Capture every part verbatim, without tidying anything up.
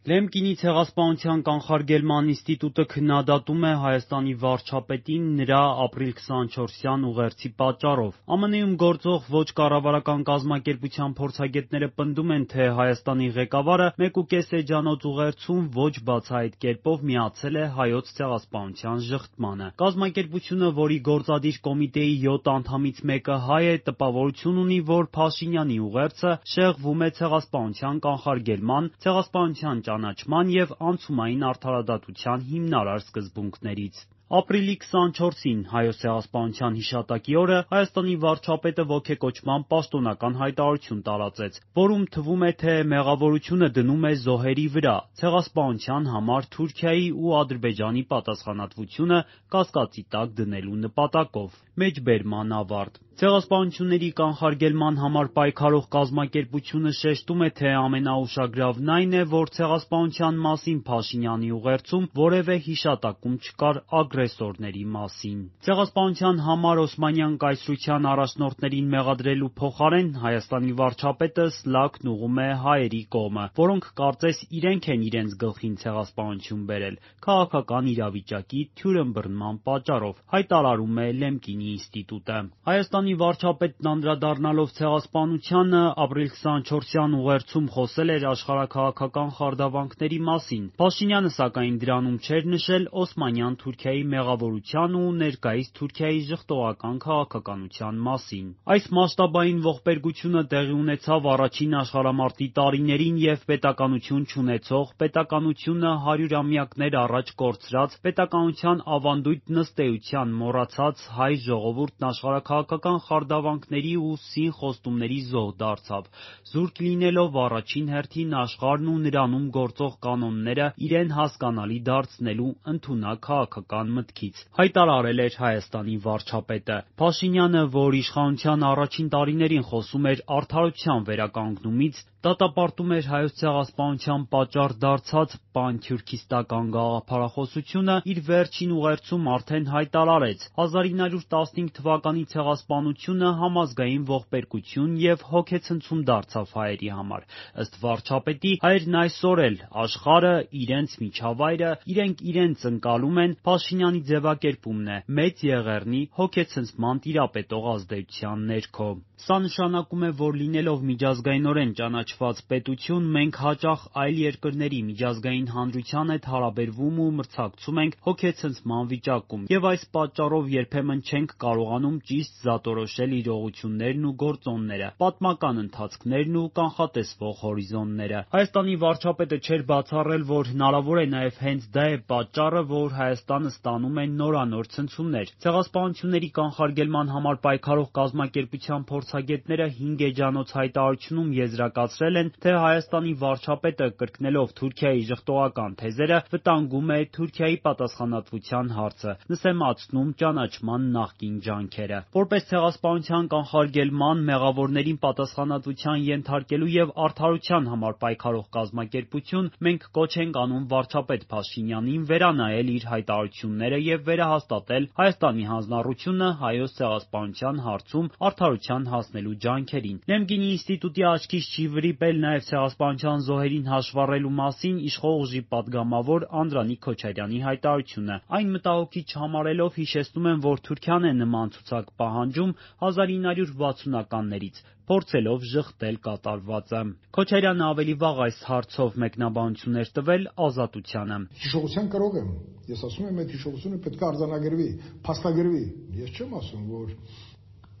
Լեմկինի ցեղասպանության կանխարգելման ինստիտուտը քննադատում է Հայաստանի վարչապետին նրա ապրիլ քսանչորսյան ուղերձի պատճառով։ ԱՄՆ-ում գործող ոչ կառավարական կազմակերպության փորձագետները պնդում են, թե Հայաստանի ղեկավարը մեկուկես էջանոց ուղերձում ոչ բացահայտ կերպով միացել է Հայոց ցեղասպանության ժխտմանը։ Կազմակերպությունը, որի գործադիր կոմիտեի յոթ անդամից մեկը հայ է, տպավորություն ունի, որ Փաշինյանի ուղերձը շեղվում է ցեղասպանության կանխարգելման, ցեղասպանության ճանաչման և անցումային արդարադատության հիմնարար սկզբունքներից։ Ապրիլի քսանչորսին Հայոց ցեղասպանության հիշատակի օրը Հայաստանի վարչապետը ոգեկոճման պաշտոնական հայտարարություն տարածեց, որում թվում է, թե մեղավորությունը դնում է զոհերի վրա՝ ցեղասպանության համար Թուրքիայի ու Ադրբեջանի պատասխանատվությունը կասկածի տակ դնելու նպատակով։ Մեջբերման ավարտ։ Ցեղասպանությունների կանխարգելման համար պայքարող կազմակերպությունը շեշտում է, թե ամենաուշագրավն այն է, որ ցեղասպանության մասին Փաշինյանի ուղերձում որևէ հիշատակում չկար ագրեսորների մասին։ Ցեղասպանության համար Օսմանյան կայսրության առաջնորդներին մեղադրելու փոխարեն Հայաստանի վարչապետը սլաքն ուղղում է հայերի կողմը, որոնք կարծես իրենք են իրենց գլխին ցեղասպանություն բերել՝ քաղաքական իրավիճակի թյուրըմբռնման պատճառով, հայտարարում է Լեմկինի ինստիտուտը։ Հայաստանի վարչապետն անդրադառնալով ցեղասպանությանը ապրիլ քսանչորսյան ուղերձում խոսել էր աշխարհաքաղաքական խարդավանքների մասին։ Փաշինյանը, սակայն, դրանում չէր նշել Օսմանյան Թուրքիայի մեղավորության ու ներկայիս Թուրքիայի ժխտողական քաղաքականության մասին։ Այս մասշտաբային ողբերգությունը տեղի ունեցավ առաջին աշխարհամարտի տարիներին և պետականություն չունեցող, պետականությունը հարյուրամյակներ առաջ կորցրած, պետականության ավանդույթ նստեության մոռացած հայ ժողովուրդն աշխարհաքաղաքական խարդավանքների ու սին խոստումների զոհ դարձավ, զուրկ լինելով առաջին հերթին աշխարհն ու նրանում գործող կանոնները իրեն հասկանալի դարձնելու ընդունակ քաղաքական մտքից, հայտարարել էր Հայաստանի վարչապետը։ Փաշինյանը, որ իշխանության առաջին տարիներին խոսում էր արդարության վերականգնումից, դատապարտում էր Հայոց ցեղասպանության պատճառ դարձած պանթյուրքիստական գաղափարախոսությունը, իր վերջին ուղերձում արդեն հայտարարեց՝ հազար ինը հարյուր տասնհինգ թվականի ցեղասպանությունը համազգային ողբերգություն և հոգեցնցում դարձավ հայերի համար։ Ըստ վարչապետի, հայերն այսօր էլ, աշխարհը, իրենց միջավայրը, իրենք իրենց ընկալում են Փաշինյանի ձևակերպումն է՝ Մեծ Եղեռնի հոգեցնցման տիրապետող ազդեցության ներքո։ Սա նշանակում է, որ լինելով միջազգայնորեն ճանաչված պետություն, մենք հաճախ այլ երկրների միջազգային հանրության հետ հարաբերվում ու մրցակցում ենք հոգեցնցման վիճակում, և այս պատճառով երբեմն չենք կարողանում ճիշտ զատորոշել իրողություններն ու գործոնները, պատմական ընթացքներն ու կանխատեսվող հորիզոնները։ Հայաստանի վարչապետը չէր բացառել, որ հնարավոր է նաև հենց դա է պատճառը, որ Հայաստանը ստանում է նորանոր ցնցումներ։ Ցեղասպանությունների կանխարգելման համար պայքարող կազմակերպության փորձագետները հինգ էջանոց հայտարարությունում եզրակացրել են, թե Հայաստանի վարչապետը, կրկնելով Թուրքիայի ժխտողական թեզերը, վտանգում է Թուրքիայի պատասխանատվության հարցը, նսեմացնում ճանաչման նախկին ջանքերը։ Որպես ցեղասպանության կանխարգելման, մեղավորներին պատասխանատվության ենթարկելու և արդարության համար պայքարող կազմակերպություն, մենք կոչ ենք անում վարչապետ Փաշինյանին վերանայել իր հայտարարությունները և վերահաստատել Հայաստանի հանձնառությունը Հայոց ցեղասպանության հարցում արդարության հասնելու ջանքերին։ Լեմկինի ինստիտուտի աչքից չի վրիպել նաև ցեղասպանության զոհերին հաշվառելու մասին իշխող ուժի պատգամավոր Անդրանիկ Քոչարյանի հայտարարությունը։ Այն մտահոգիչ համարելով հիշեցնում եմ, որ Թուրքիան է նման ցուցակ պահանջում հազար ինը հարյուր վաթսունականներից, փորձելով ժխտել կատարվածը։ Քոչարյանը ավելի վաղ այս հարցով մեկնաբանություն էր տվել Ազատությանը։ Հիշողության կարող եմ, ես ասում եմ, այդ հիշողությունը պետք է արձանագրվի, փաստագրվի։ Ես չեմ ասում, որ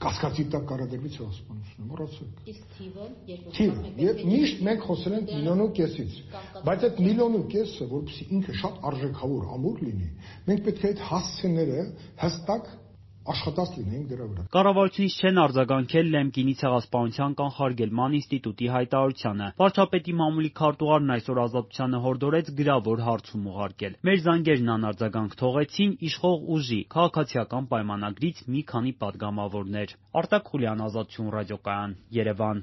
կասկածի տակ կարադրվի ցեղասպանությունը, մոռացեք։ Իսկ թիվը երկու միշտ մենք խոսել ենք միլիոն ու կեսից, բայց այդ միլիոն ու կեսը, որպեսզի ինքը շատ արժեքավոր ամուր լինի, մենք պետք է այդ հասցեները հստակ աշխատած լինենք դրա վրա։ Կառավարությունից չեն արձագանքել Լեմկինի ցեղասպանության կանխարգելման ինստիտուտի հայտարարությանը։ Վարչապետի մամուլի քարտուղարն այսօր Ազատությանը հորդորեց գրավոր հարցում ուղարկել։ Մեր զանգերն անարձագանք թողեցին իշխող ուժի քաղաքացիական պայմանագրից մի քանի պատգամավորներ։ Արտակ Խուլյան, Ազատություն ռադիոկայան, Երևան։